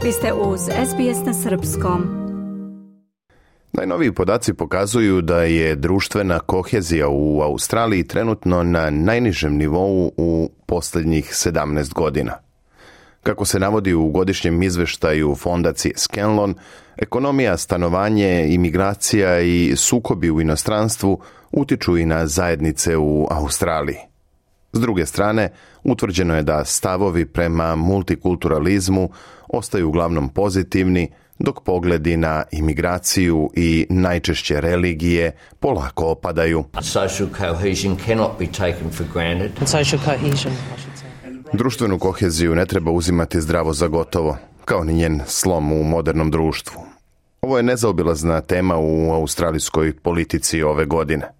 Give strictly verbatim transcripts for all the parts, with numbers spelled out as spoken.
Vi ste uz S B S na srpskom. Najnoviji podaci pokazuju da je društvena kohezija u Australiji trenutno na najnižem nivou u posljednjih sedamnaest godina. Kako se navodi u godišnjem izveštaju fondacije Scanlon, ekonomija, stanovanje, imigracija i sukobi u inostranstvu utiču i na zajednice u Australiji. S druge strane, utvrđeno je da stavovi prema multikulturalizmu ostaju uglavnom pozitivni, dok pogledi na imigraciju i najčešće religije polako opadaju. Social cohesion cannot be taken for granted. Social cohesion, I should say. Društvenu koheziju ne treba uzimati zdravo za gotovo, kao ni njen slom u modernom društvu. Ovo je nezaobilazna tema u australijskoj politici ove godine.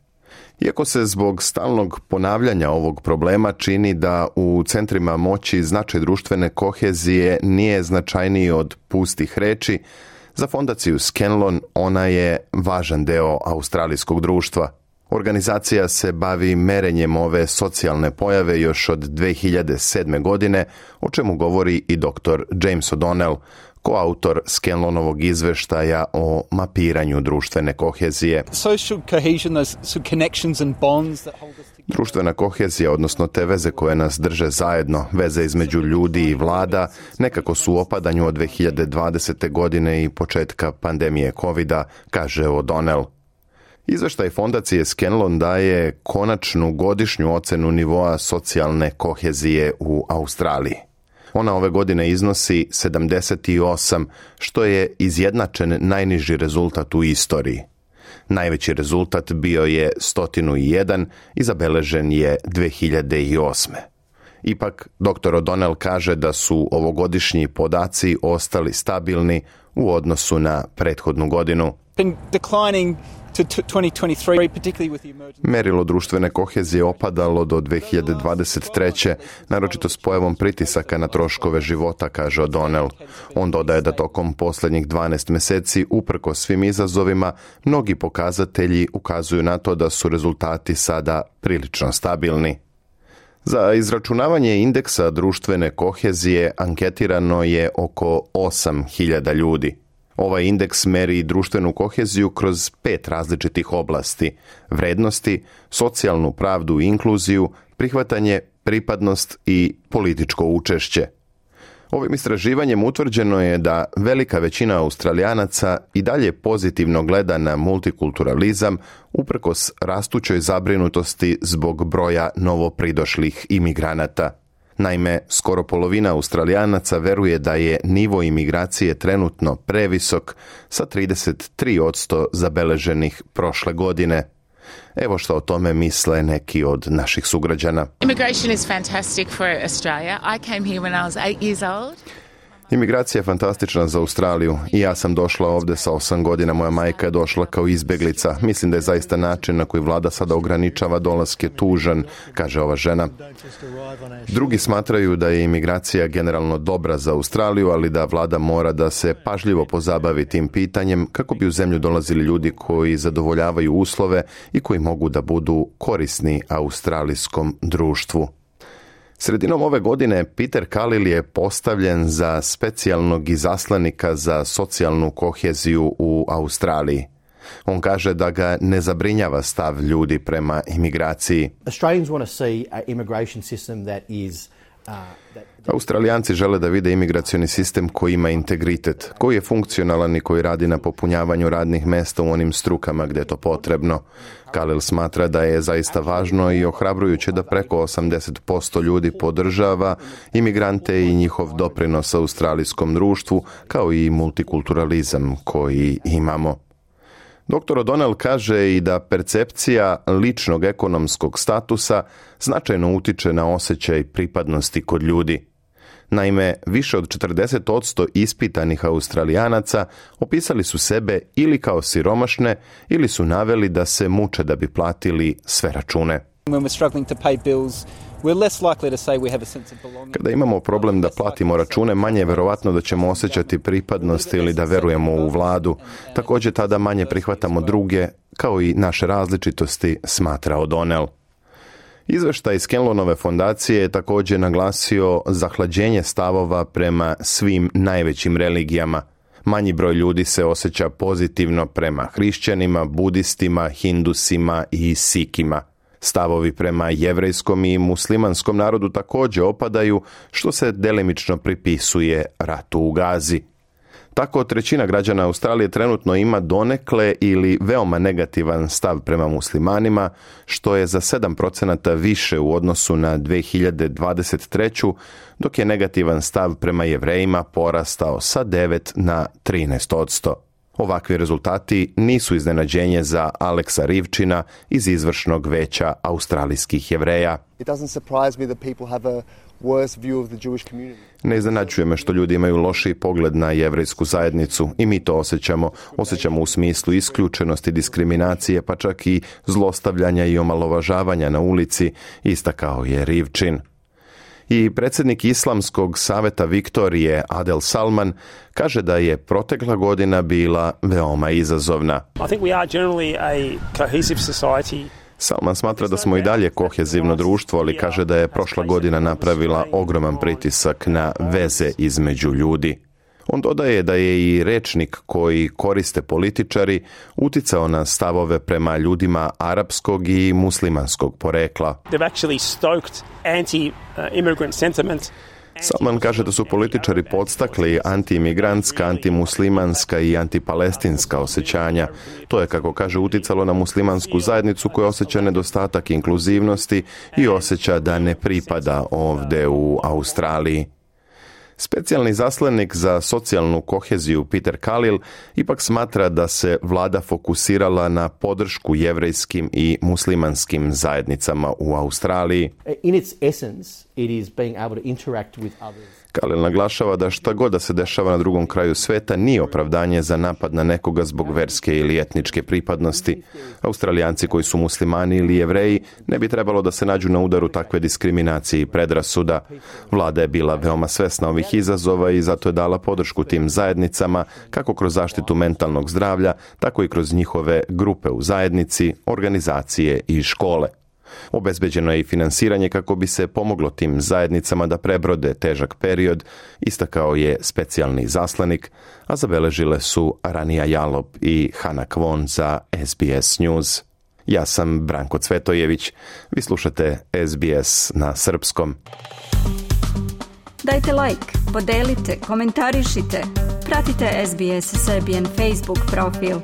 Iako se zbog stalnog ponavljanja ovog problema čini da u centrima moći značaj društvene kohezije nije značajniji od pustih reči, za fondaciju Scanlon ona je važan deo australijskog društva. Organizacija se bavi merenjem ove socijalne pojave još od dve hiljade sedme. godine, o čemu govori i doktor James O'Donnell, koautor Scanlonovog izveštaja o mapiranju društvene kohezije. Društvena kohezija, odnosno te veze koje nas drže zajedno, veze između ljudi i vlada, nekako su u opadanju od dve hiljade dvadesete. godine i početka pandemije kovida, kaže O'Donnell. Izveštaj fondacije Scanlon daje konačnu godišnju ocenu nivoa socijalne kohezije u Australiji. Ona ove godine iznosi sedamdeset osam, što je izjednačen najniži rezultat u istoriji. Najveći rezultat bio je sto jedan i zabeležen je dve hiljade osme. Ipak, doktor O'Donnell kaže da su ovogodišnji podaci ostali stabilni u odnosu na prethodnu godinu. Merilo društvene kohezije opadalo do dve hiljade dvadeset treće. naročito s pojavom pritisaka na troškove života, kaže O'Donnell. On dodaje da tokom posljednjih dvanaest mjeseci, uprkos svim izazovima, mnogi pokazatelji ukazuju na to da su rezultati sada prilično stabilni. Za izračunavanje indeksa društvene kohezije anketirano je oko osam hiljada ljudi. Ovaj indeks meri društvenu koheziju kroz pet različitih oblasti: vrednosti, socijalnu pravdu i inkluziju, prihvatanje, pripadnost i političko učešće. Ovim istraživanjem utvrđeno je da velika većina Australijanaca i dalje pozitivno gleda na multikulturalizam uprkos rastućoj zabrinutosti zbog broja novopridošlih imigranata. Naime, skoro polovina Australijanaca veruje da je nivo imigracije trenutno previsok, sa trideset tri posto zabeleženih prošle godine. Evo što o tome misle neki od naših sugrađana. Immigration is fantastic for Australia. I came here when I was eight years old. Imigracija je fantastična za Australiju. I ja sam došla ovdje sa osam godina, moja majka je došla kao izbjeglica. Mislim da je zaista način na koji vlada sada ograničava dolaske tužan, kaže ova žena. Drugi smatraju da je imigracija generalno dobra za Australiju, ali da vlada mora da se pažljivo pozabavi tim pitanjem kako bi u zemlju dolazili ljudi koji zadovoljavaju uslove i koji mogu da budu korisni australijskom društvu. Sredinom ove godine Peter Kalil je postavljen za specijalnog izaslanika za socijalnu koheziju u Australiji. On kaže da ga ne zabrinjava stav ljudi prema imigraciji. Australians want to see an immigration system that is uh, that Australijanci žele da vide imigracioni sistem koji ima integritet, koji je funkcionalan i koji radi na popunjavanju radnih mjesta u onim strukama gdje je to potrebno. Kalil smatra da je zaista važno i ohrabrujuće da preko osamdeset posto ljudi podržava imigrante i njihov doprinos australijskom društvu, kao i multikulturalizam koji imamo. doktor O'Donnell kaže i da percepcija ličnog ekonomskog statusa značajno utiče na osjećaj pripadnosti kod ljudi. Naime, više od četrdeset posto ispitanih Australijanaca opisali su sebe ili kao siromašne ili su naveli da se muče da bi platili sve račune. Kada imamo problem da platimo račune, manje je verovatno da ćemo osjećati pripadnost ili da verujemo u vladu. Također tada manje prihvatamo druge, kao i naše različitosti, smatra O'Donnell. Izveštaj Scanlonove fondacije je također naglasio zahlađenje stavova prema svim najvećim religijama. Manji broj ljudi se osjeća pozitivno prema hrišćanima, budistima, hindusima i sikima. Stavovi prema jevrejskom i muslimanskom narodu također opadaju, što se delimično pripisuje ratu u Gazi. Tako trećina građana Australije trenutno ima donekle ili veoma negativan stav prema muslimanima, što je za sedam procenata više u odnosu na dvije hiljade dvadeset treću. dok je negativan stav prema Jevrejima porastao sa devet na trinaest posto. Ovakvi rezultati nisu iznenađenje za Aleksa Rivčina iz izvršnog veća australijskih Jevreja. It doesn't surprise me that people have a worse view of the Jewish community. Ne iznenađuje me što ljudi imaju lošiji pogled na jevrejsku zajednicu i mi to osjećamo. Osjećamo u smislu isključenosti, diskriminacije, pa čak i zlostavljanja i omalovažavanja na ulici, istakao je Rivčin. I predsjednik Islamskog saveta Viktorije Adel Salman kaže da je protekla godina bila veoma izazovna. I think we are generally a cohesive society. Salman smatra da smo i dalje kohezivno društvo, ali kaže da je prošla godina napravila ogroman pritisak na veze između ljudi. On dodaje da je i rečnik koji koriste političari uticao na stavove prema ljudima arapskog i muslimanskog porekla. They've actually stoked anti-immigrant sentiment. Salman kaže da su političari podstakli antiimigrantska, antimuslimanska i antipalestinska osjećanja. To je, kako kaže, uticalo na muslimansku zajednicu koja osjeća nedostatak inkluzivnosti i osjeća da ne pripada ovdje u Australiji. Specijalni zaslanik za socijalnu koheziju Peter Kalil ipak smatra da se vlada fokusirala na podršku jevrejskim i muslimanskim zajednicama u Australiji. In its essence, it is being able to interact with others. Kalil naglašava da šta god da se dešava na drugom kraju sveta nije opravdanje za napad na nekoga zbog verske ili etničke pripadnosti. Australijanci koji su muslimani ili Jevreji ne bi trebalo da se nađu na udaru takve diskriminacije i predrasuda. Vlada je bila veoma svesna ovih izazova i zato je dala podršku tim zajednicama kako kroz zaštitu mentalnog zdravlja, tako i kroz njihove grupe u zajednici, organizacije i škole. Obezbeđeno je i finansiranje kako bi se pomoglo tim zajednicama da prebrode težak period, istakao je specijalni zaslanik, a zabeležile su Ranija Jalop i Hana Kvon za S B S News. Ja sam Branko Cvetojević, vi slušate S B S na srpskom. Dajte like, podelite, komentarišite, pratite S B S Serbian Facebook profil.